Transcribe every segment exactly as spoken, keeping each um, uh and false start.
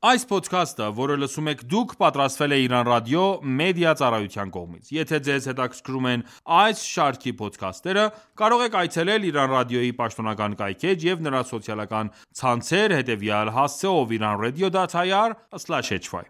Այս ոդքասթը, որը լսում եք դուք, պատրաստվել է Իրան Ռադիո մեդիա ծառայության կողմից։ Եթե ձեզ հետաքրքրում են այս շարքի ոդքասթերը, կարող եք այցելել Իրան Ռադիոյի պաշտոնական կայքէջ և նրա սոցիալական ցանցեր հետևյալ հասցեով իրանradio dot i r slash h y: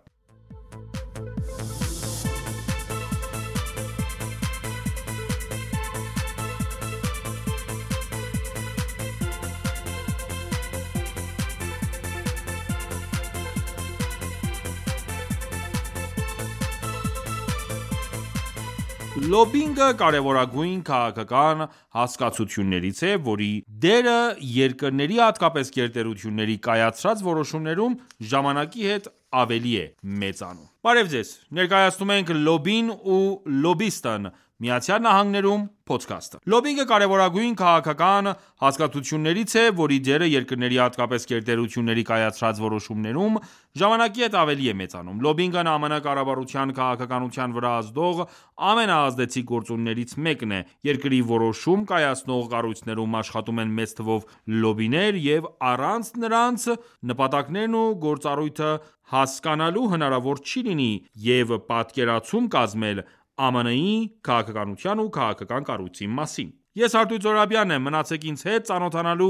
Լոբբինգը կարևորագույն քաղաքական հասկացություններից է, որի դերը երկրների, հատկապես գերտերությունների կայացրած որոշումներում ժամանակի հետ ավելի է մեծանում։ Բարև ձեզ, ներկայացնում ենք «Լոբբին ու լոբբիստն Միացյալ Նահանգներում» փոդքասթը։ Լոբբինգը կարևորագույն քաղաքական հասկացություններից է, որի դերը երկրների, հատկապես գերտերությունների կայացրած որոշումներում ժամանակի հետ ավելի է մեծանում։ Լոբբինգն ԱՄՆ կառավարության քաղաքականության վրա ազդող ամենաազդեցիկ գործոններից մեկն է։ Երկրի որոշում կայացնող կառույցներում աշխատում են մեծ թվով լոբբիներ, և առանց նրանց նպատակներն ու գործառույթը հասկանալու հնարավոր չի լինի և պատկերացում կազմել ԱՄՆ-ի քաղաքականության ու քաղաքական կառույցի մասին։ Ես Արտույտ Զոհրաբյանն եմ, մնացեք ինձ հետ ծանոթանալու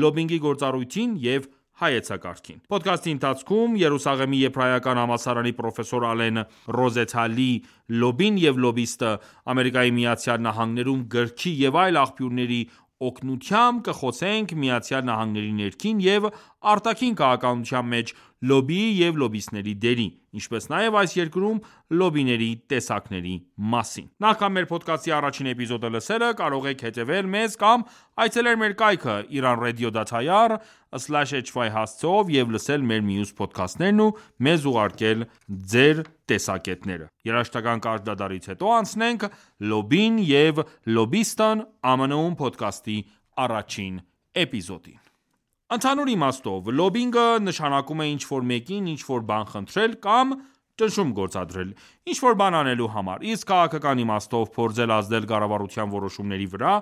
լոբբինգի գործառույթին և հայեցակարգին։ Փոդքասթի ընթացքում Երուսաղեմի Եբրայական համալսարանի պրոֆեսոր Ալեն Ռոզենթալի «Լոբբին և լոբբիստը ԱՄՆ-ում» գրքի և այլ աղբյուրների օգնությամբ կխոսենք ԱՄՆ-ի ներքին և արտաքին քաղաքականության մեջ լոբբիի և լոբբիստների դերի, ինչպես նաև այս երկրում լոբբիների տեսակների մասին։ Նախքան մեր փոդքասթի առաջին էպիզոդը լսելը, կարող եք հետևել մեզ կամ այցելել մեր կայքը իրանradio dot i r slash h y հասցեով և լսել մեր մյուս փոդքասթներն ու մեզ ուղարկել ձեր տեսակետները։ Երաժշտական կարճ դադարից հետո անցնենք «Լոբբին և լոբբիստն ԱՄՆ-ում» փոդքասթի առաջին էպիզոդին։ Ընդհանուր իմաստով, լոբբինգը նշանակում է ինչ-որ մեկին ինչ-որ բան խնդրել կամ ճնշում գործադրել ինչ-որ բան անելու համար, իսկ քաղաքական իմաստով փորձել ազդել կառավարության որոշումների վրա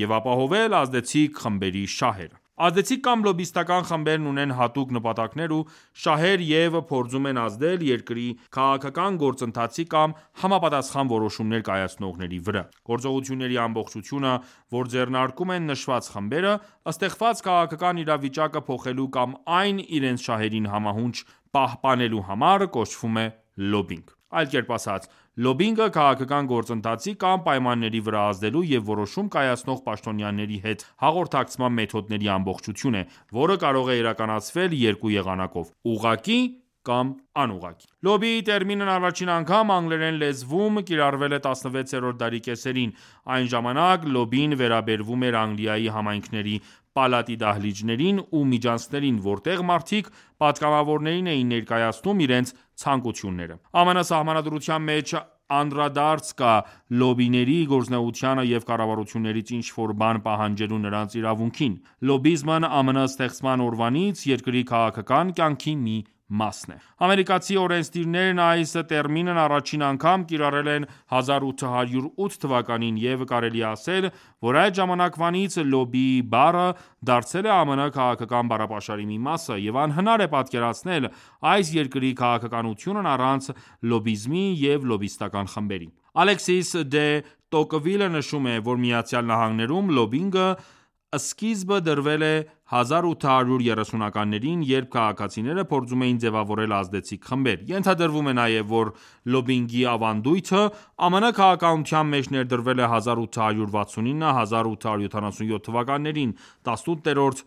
և ապահովել ազդեցիկ խմբերի շահերը։ Ազդեցիկ կամ լոբբիստական խմբերն ունեն հատուկ նպատակներ ու շահեր և փորձում են ազդել երկրի քաղաքական գործընթացի կամ համապատասխան որոշումներ կայացնողների վրա։ Գործողությունների ամբողջությունը, որ ձեռնարկում են նշված խմբերը, ստեղծված քաղաքական իրավիճակը փոխելու կամ այն իրենց շահերին համահունչ պահպանելու համար, կոչվում է լոբբինգ։ Այլ կերպ ասած, լոբբինգը քաղաքական գործընթացի կամ պայմանների վրա ազդելու և որոշում կայացնող պաշտոնյաների հետ հաղորդակցման մեթոդների ամբողջություն է, որը կարող է իրականացվել երկու եղանակով՝ ուղղակի կամ անուղղակի։ Լոբբիի տերմինն առաջին անգամ անգլերեն լեզվում կիրառվել է տասնվեցերորդ դարի կեսերին։ Այն ժամանակ լոբբին վերաբերվում էր Անգլիայի համայնքների պալատի դահլիճներին ու միջանցքներին, որտեղ մարդիկ պատգամավորներին էին ներկայացնում իրենց ցանկությունները։ ԱՄՆ Սահմանադրության մեջ անդրադարձ կա լոբբիների գործունեությանը և կառավարություններից ինչ-որ բան պահանջելու նրանց իրավունքին։ Լոբբիզմն ԱՄՆ ստեղծման օրվանից երկրի քաղաքական կյանքի մի մասն է։ Ամերիկացի օրենսդիրներն այս տերմինն առաջին անգամ կիրառել են հազար ութ հարյուր ութ թվականին, և կարելի է ասել, որ այդ ժամանակվանից լոբբիի բառը դարձել է ԱՄՆ քաղաքական բառապաշարի մի մասը, և անհնար է պատկերացնել այս երկրի քաղաքականությունն առանց լոբբիզմի և լոբբիստական խմբերի։ Ալեքսիս դե Տոկվիլը նշում է, որ ԱՄՆ-ում լոբբինգը սկիզբը դրվել է հազար ութ հարյուր երեսունականներին, երբ քաղաքացիները փորձում էին ձևավորել ազդեցիկ խմբեր։ Ենթադրվում է նաև, որ լոբբինգի ավանդույթը ԱՄՆ քաղաքականության մեջ ներդրվել է հազար ութ հարյուր վաթսունինը - հազար ութ հարյուր յոթանասունյոթ թվականներին տասնութերորդ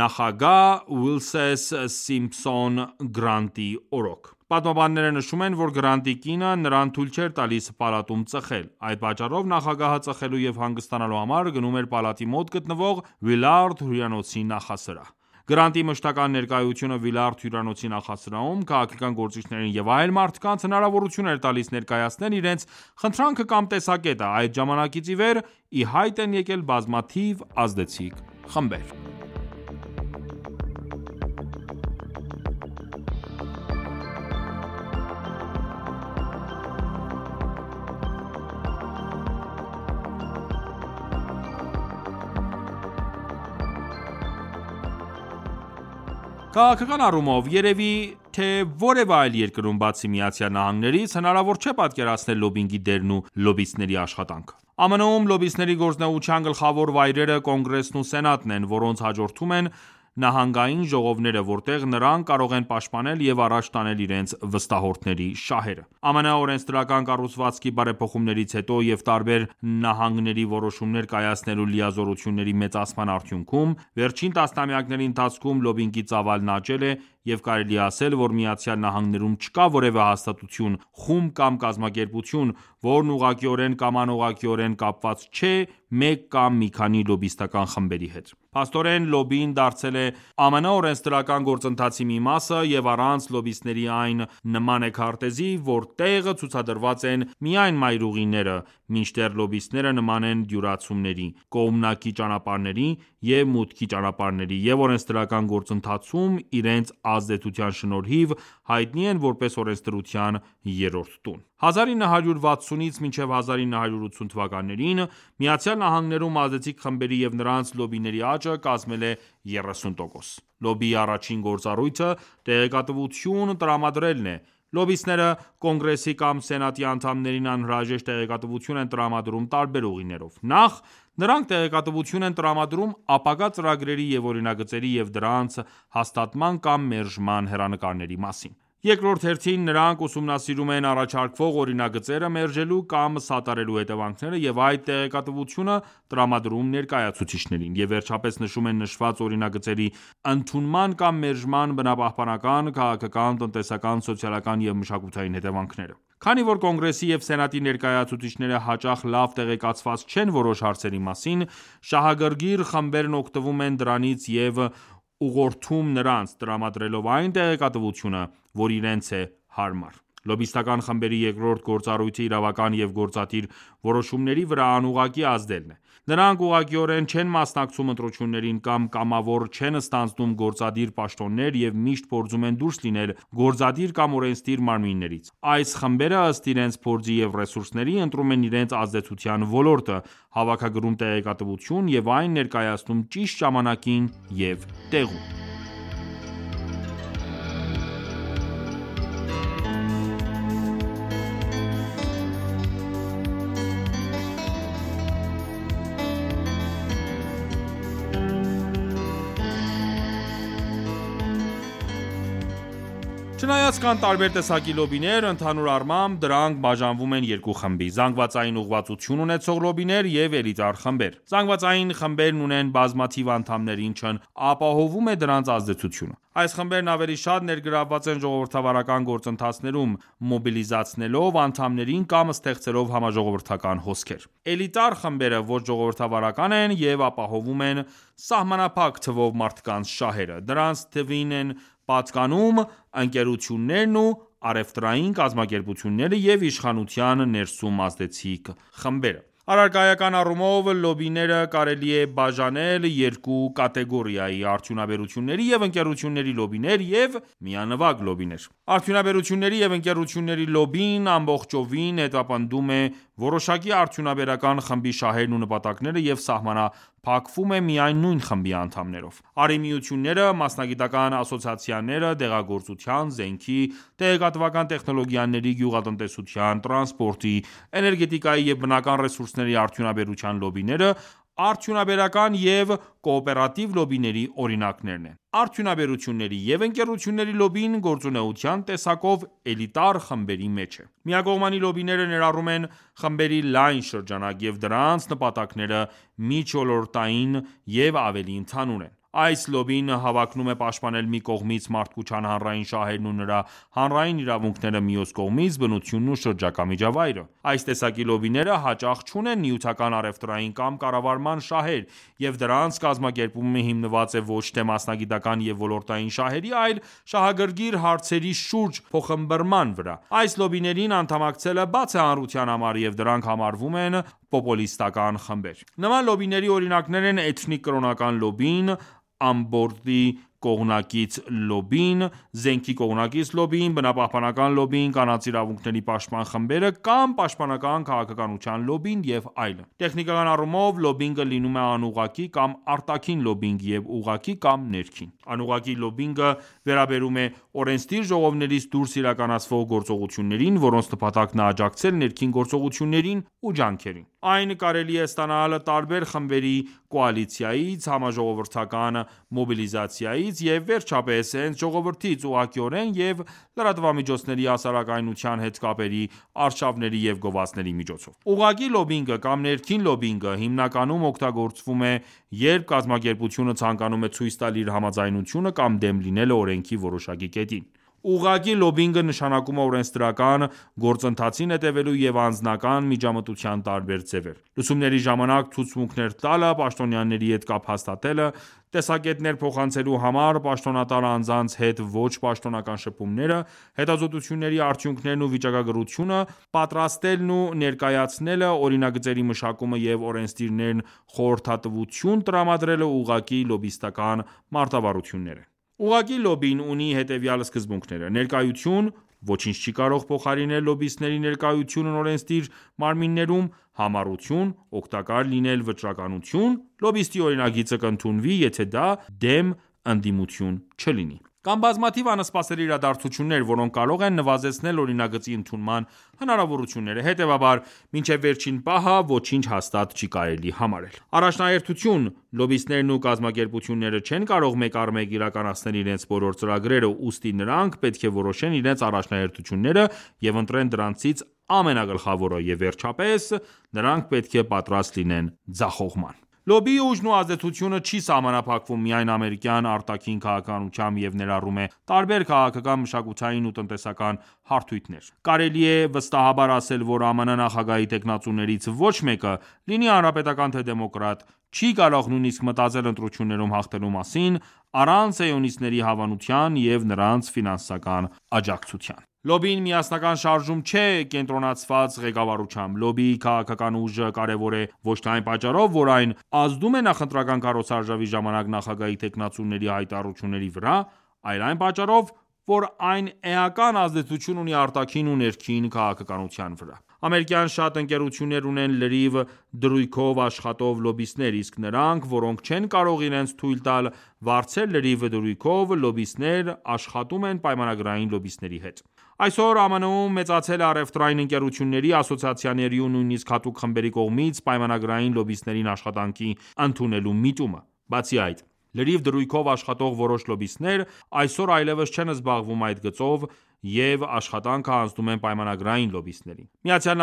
նախագահ Ուլիսես Սիմփսոն Գրանտի օրոք։ Պատմաբանները նշում են, որ Գրանտի կինը նրան թույլ չէր տալիս պալատում ծխել։ Այդ պատճառով նախագահը ծխելու և հանգստանալու համար գնում էր պալատի մոտ գտնվող Վիլարդ հյուրանոցի նախասրահ։ Գրանտի մշտական ներկայությունը Վիլարդ հյուրանոցի նախասրահում քաղաքական գործիչներին և այլ մարդկանց հնարավորություն էր տալիս ներկայացնել իրենց խնդրանքը կամ տեսակետը։ Այդ ժամանակից ի վեր ի հայտ են եկել բազմաթիվ ազդեցիկ խմբեր։ Քաղաքական առումով, երևի թե որևէ այլ երկրում, բացի ԱՄՆ-ից, հնարավոր չէ պատկերացնել լոբբինգի դերն ու լոբբիստների աշխատանքը։ ԱՄՆ-ում լոբբիստների գործունեության գլխավոր վայրերը Կոնգրեսն ու Սենատն են, որոնց հաջորդում են նահանգային ժողովները, որտեղ նրանք կարող են պաշտպանել և առաջ տանել իրենց վստահորդների շահերը։ ԱՄՆ օրենսդրական կառուցվածքի բարեփոխումներից հետո և տարբեր նահանգների որոշումներ կայացնելու լիազորությունների մեծացման արդյունքում, վերջին տասնամյակների ընթացքում լոբբինգի ծավալն աճել է, և կարելի է ասել, որ ԱՄՆ-ում չկա որևէ հաստատություն, խումբ կամ կազմակերպություն, որն ուղղակիորեն կամ անուղղակիորեն կապված չէ մեկ կամ մի քանի լոբբիստական խմբերի հետ։ Փաստորեն, լոբբին դարձել է ԱՄՆ օրենսդրական գործընթացի մի մասը, և առանց լոբբիստների այն նման է քարտեզի, որտեղ ցուցադրված են միայն մայրուղիները, մինչդեռ լոբբիստները նման են դյուրացումների, կողմնակի ճանապարհների և մուտքի ճանապարհների, և օրենսդրական գործընթացում իրենց ազդեցության շնորհիվ հայտնի են որպես օրենսդրության երրորդ տուն։ հազար ինը հարյուր վաթսունից մինչև հազար ինը հարյուր ութսուն թվականներին ԱՄՆ-ում ազդեցիկ խմբերի և նրանց լոբբիների աճը կազմել է երեսուն տոկոս։ Լոբբիի առաջին գործառույթը տեղեկատվություն տրամադրելն է։ Լոբբիստները Կոնգրեսի կամ Սենատի անդամներին անհրաժեշտ տեղեկատվություն են տրամադրում տարբեր ուղիներով։ Նախ, նրանք տեղեկատվություն են տրամադրում ապագա ծրագրերի և օրինագծերի և դրանց հաստատման կամ մերժման հեռանկարների մասին։ Երկրորդ հերթին, նրանք ուսումնասիրում են առաջարկվող օրինագծերը մերժելու կամ սատարելու հետևանքները և այդ տեղեկատվությունը տրամադրում ներկայացուցիչներին, և վերջապես նշում են նշված օրինագծերի ընդունման կամ մերժման բնապահպանական, քաղաքական, տնտեսական, սոցիալական և մշակութային հետևանքները։ Քանի որ Կոնգրեսի և Սենատի ներկայացուցիչները հաճախ լավ տեղեկացված չեն որոշ հարցերի մասին, շահագրգիռ խմբերն օգտվում են դրանից և ուղղորդում նրանց, տրամադրելով այն տեղեկատվությունը, որ իրենց է հարմար։ Լոբբիստական խմբերի երկրորդ գործառույթը իրավական և գործադիր որոշումների վրա անուղղակի ազդելն է։ Նրանք ուղղակիորեն չեն մասնակցում ընտրություններին կամ կամավոր չեն ստանձնում գործադիր պաշտոններ և միշտ փորձում են դուրս լինել գործադիր կամ օրենսդիր մարմիններից։ Այս խմբերը, ըստ իրենց փորձի և ռեսուրսների, ընտրում են իրենց ազդեցության ոլորտը, հավաքագրում տեղեկատվություն և այն ներկայացնում ճիշտ ժամանակին և տեղում։ Չնայած կան տարբեր տեսակի լոբբիներ, ընդհանուր առմամբ դրանք բաժանվում են երկու խմբի՝ զանգվածային ուղղվածություն ունեցող լոբբիներ և էլիտար խմբեր։ Զանգվածային խմբերն ունեն բազմաթիվ անդամներ, ինչն ապահովում է դրանց ազդեցությունը։ Այս խմբերն ավելի շատ ներգրավված են ժողովրդավարական գործընթացներում, մոբիլիզացնելով անդամներին կամ ստեղծելով համաժողովրդական հոսքեր։ Էլիտար խմբերը ոչ ժողովրդավարական են և ապահովում են սահմանափակ թվով մարդկանց շահերը։ Դրանց թվին են պատկանում ընկերություններն ու առևտրային կազմակերպությունները և իշխանության ներսում ազդեցիկ խմբերը։ Առարկայական առումով լոբբիները կարելի է բաժանել երկու կատեգորիայի՝ արդյունաբերությունների և ընկերությունների լոբբիներ և միանվագ լոբբիներ։ Արդյունաբերությունների և ընկերությունների լոբբին ամբողջովին հետապնդում է որոշակի արդյունաբերական խմբի շահերն ու նպատակները և սահմանափակվում է միայն նույն խմբի անդամներով։ Առ ի միությունները, մասնագիտական ասոցիացիաները, դեղագործության, զենքի, տեղեկատվական տեխնոլոգիաների, գյուղատնտեսության, տրանսպորտի, էներգետիկայի և բնական ռեսուրսների արդյունաբերության լոբբիները արդյունաբերական և կոոպերատիվ լոբբիների օրինակներն են։ Արդյունաբերությունների և ընկերությունների լոբբին գործունեության տեսակով էլիտար խմբերի մեջ է։ Միակողմանի լոբբիները ներառում են խմբերի լայն շրջանակ, և դրանց նպատակները միջոլորտային և ավելի ընդհանուր են։ Այս լոբբին հավակնում է պաշտպանել մի կողմից մարդկության հանրային շահերն ու նրա հանրային իրավունքները, մյուս կողմից բնությունն ու շրջակա միջավայրը։ Այս տեսակի լոբբիները հաճախ չունեն նյութական, առևտրային կամ կառավարման շահեր, և դրանց կազմակերպումը հիմնված է ոչ թե մասնագիտական և ոլորտային շահերի, այլ շահագրգիռ հարցերի շուրջ փոխըմբռնման վրա։ Այս լոբբիներին անդամակցելը բաց է հանրության համար, և դրանք համարվում են պոպուլիստական խմբեր։ Նման լոբբիների օրինակներ են էթնիկ կրոնական լոբբին, ամբորդի կողմնակից լոբբին, զենքի կողմնակից լոբբին, բնապահպանական լոբբին, կանանց իրավունքների պաշտպան խմբերը կամ պաշտպանական քաղաքականության լոբբին և այլն: Տեխնիկական առումով լոբբինգը լինում է անուղղակի կամ արտաքին լոբբինգ և ուղղակի կամ ներքին: Անուղղակի լոբբինգը վերաբերում է օրենսդիր ժողովներից դուրս իրականացվող գործողություններին, որոնց նպատակն է աջակցել ներքին գործողություններին ու ջանքերին: Այն կարելի է ստանալ տարբեր խմբերի կոալիցիայից, համաժողովրդական մոբիլիզացիայից և վերջապես հենց ժողովրդից ուղղակիորեն և լրատվամիջոցների հասարակայնության հետ կապերի արշավների և գովազդների միջոցով: Ուղղակի լոբբինգը կամ ներքին լոբբինգը հիմնականում օգտագործվում է, երբ կազմակերպությունը ցանկանում է ցույց տալ իր համաձայնությունը կամ դեմ լինելը օրենքի որոշակի կետին: Ուղղակի լոբբինգը նշանակում է օրենսդրական գործընթացին հետևելու և անձնական միջամտության տարբեր ձևեր: Լսումների ժամանակ ցուցմունքներ տալը, պաշտոնյաների հետ կապ հաստատելը, տեսակետներ փոխանցելու համար պաշտոնատար անձանց հետ ոչ պաշտոնական շփումները, հետազոտությունների արդյունքներն ու վիճակագրությունը պատրաստելն ու ներկայացնելը, օրինագծերի մշակումը և օրենսդիրներն խորհրդատվություն տրամադրելը ուղղակի լոբբիստական մարտավարություններ են: Ուղղակի լոբբին ունի հետևյալ սկզբունքները. Ներկայություն, ոչինչ չի կարող փոխարինել լոբբիստների ներկայությունն օրենսդիր մարմիններում, համառություն, օգտակար լինել վճռականություն, լոբբիստի օրինագիծը կընդունվի, եթե դա դեմ ընդդիմություն չլինի: Կան բազմաթիվ անսպասելի իրադարձություններ, որոնք կարող են նվազեցնել օրինագծի ընդունման հնարավորությունները, հետևաբար, մինչև վերջին պահը ոչինչ հաստատ չի կարելի համարել: Առաջնահերթություն. Լոբբիստներն ու կազմակերպությունները չեն կարող մեկ առ մեկ իրականացնել իրենց բոլոր ծրագրերը, ուստի նրանք պետք է որոշեն իրենց առաջնահերթությունները և ընտրեն դրանցից ամենագլխավորը և վերջապես, նրանք պետք է պատրաստ լինեն ձախողման: Լոբբիի ուժն ու ազդեցությունը չի սահմանափակվում միայն ամերիկյան արտաքին քաղաքականությամբ և ներառում է տարբեր քաղաքական, մշակութային ու տնտեսական հարթություններ: Կարելի է վստահաբար ասել, որ ԱՄՆ նախագահի թեկնածուներից ոչ մեկը, լինի հանրապետական թե դեմոկրատ, չի կարող նույնիսկ մտածել ընտրություններում հաղթելու մասին, առանց սիոնիստների հավանության և նրանց ֆինանսական աջակցության: Լոբբին միասնական շարժում չէ կենտրոնացված ղեկավարությամբ: Լոբբիի քաղաքական ուժը կարևոր է ոչ թե այն պատճառով, որ այն ազդում է նախընտրական քարոզարշավի ժամանակ նախագահի թեկնածուների հայտարարությունների վրա, այլ այն պատճառով, որ այն էական ազդեցություն ունի արտաքին ու ներքին քաղաքականության վրա: Ամերիկյան շատ ընկերություններ ունեն լրիվ դրույքով աշխատող լոբբիստներ, իսկ նրանք, որոնք չեն կարող իրենց թույլ տալ վարձել լրիվ դրույքով լոբբիստներ, աշխատում են պայմանագրային լոբբիստների հետ: Այսօր ԱՄՆ-ում մեծացել է առևտրային ընկերությունների, ասոցիացիաների ու նույնիսկ հատուկ խմբերի կողմից պայմանագրային լոբբիստերին աշխատանքի ընդունելու միտումը: Բացի այդ, լրիվ դրույքով աշխատող որոշ լոբբիստներ այսօր այլևս չեն զբաղվում այդ գծով և աշխատանքը հանձնում են պայմանագրային լոբբիստներին: ԱՄՆ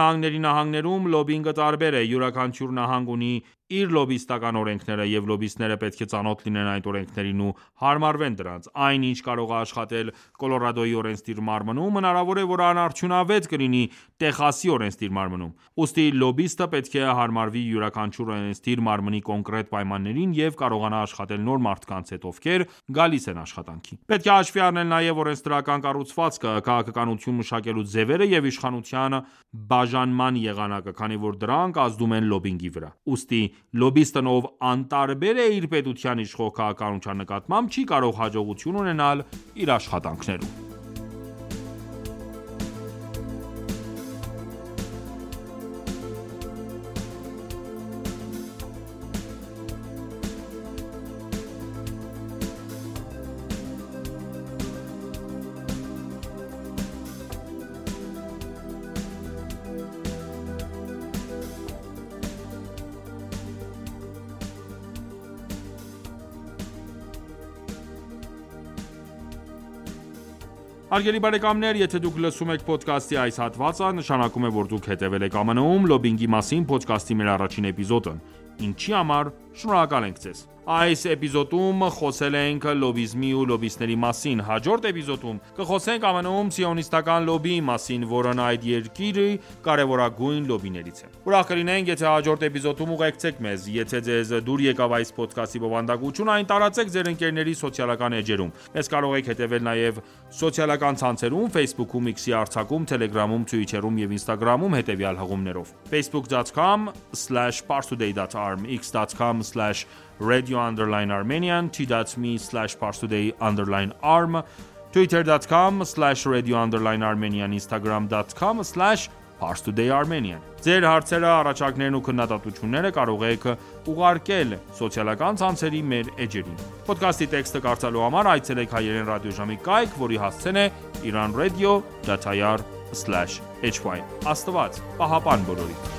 նահանգներում լոբբինգը տարբեր է: Յուրաքանչյուր նահանգ ունի իր լոբբիստական օրենքները, և լոբբիստները պետք է ծանոթ լինեն այդ օրենքներին ու հարմարվեն դրանց: Այն, ինչ կարող է աշխատել Կոլորադոյի օրենսդիր մարմնում, հնարավոր է, որ անարդյունավետ կլինի Տեխասի օրենսդիր մարմնում: Ուստի լոբբիստը պետք է հարմարվի յուրաքանչյուր օրենսդիր մարմնի կոնկրետ պայմաններին և կարողանա աշխատել նոր մարդկանց հետ, ովքեր գալիս են աշխատանքի: Պետք է հաշվի առնել նաև օրենսդրական կառուցվածքը, քաղաքականություն մշակելու ձևերը և իշխանության բաժանման եղանակը, քանի որ դրանք ազդում են լոբբինգի վրա: Ուստի լոբբիստն, ով անտարբեր է իր պետության իշխող քաղաքականության նկատմամբ, չի կարող հաջողություն ունենալ իր աշխատանքներում: Հարգելի բարեկամներ, եթե դուք լսում եք պոդքասթի այս հատվածը, նշանակում է, որ դուք հետևել եք ԱՄՆ-ում լոբբինգի մասին փոդքասթի մեր առաջին էպիզոդն, ինչի համար շնորհակալ ենք ձեզ: Այս էպիզոդում խոսել ենք լոբբիզմի ու լոբբիստների մասին: Հաջորդ էպիզոդում կխոսենք ԱՄՆ-ում սիոնիստական լոբբիի մասին, որն այդ երկրի կարևորագույն լոբբիներից է: Ուրախ կլինենք, եթե հաջորդ էպիզոդում ուղեկցեք մեզ: Եթե ձեզ դուր եկավ այս փոդքասթի բովանդակությունը, այն տարածեք ձեր ընկերների սոցիալական էջերում: Մեզ կարող եք հետևել նաև Սոցիալական ցանցերում Facebook-ում, X-ի արձակում, Telegram-ում, Twitter-ում և Instagram-ում հետևյալ հղումներով. facebook dot com slash parstoday dot arm, x dot com slash radio underline armenian, t dot m e slash parstoday underline arm, twitter dot com slash radio underline armenian, instagram dot com slash parstoday armenian. Ձեր հարցերը, առաջարկներն ու քննադատությունները կարող եք ուղարկել սոցիալական ցանցերի մեր էջերին։ Ոդքասթի տեքստը կարդալու համար այցելեք հայերեն ռադիոժամի կայք, որի հասցեն է iran radio dot i r slash h y. Աստված պահապան բոլորիդ։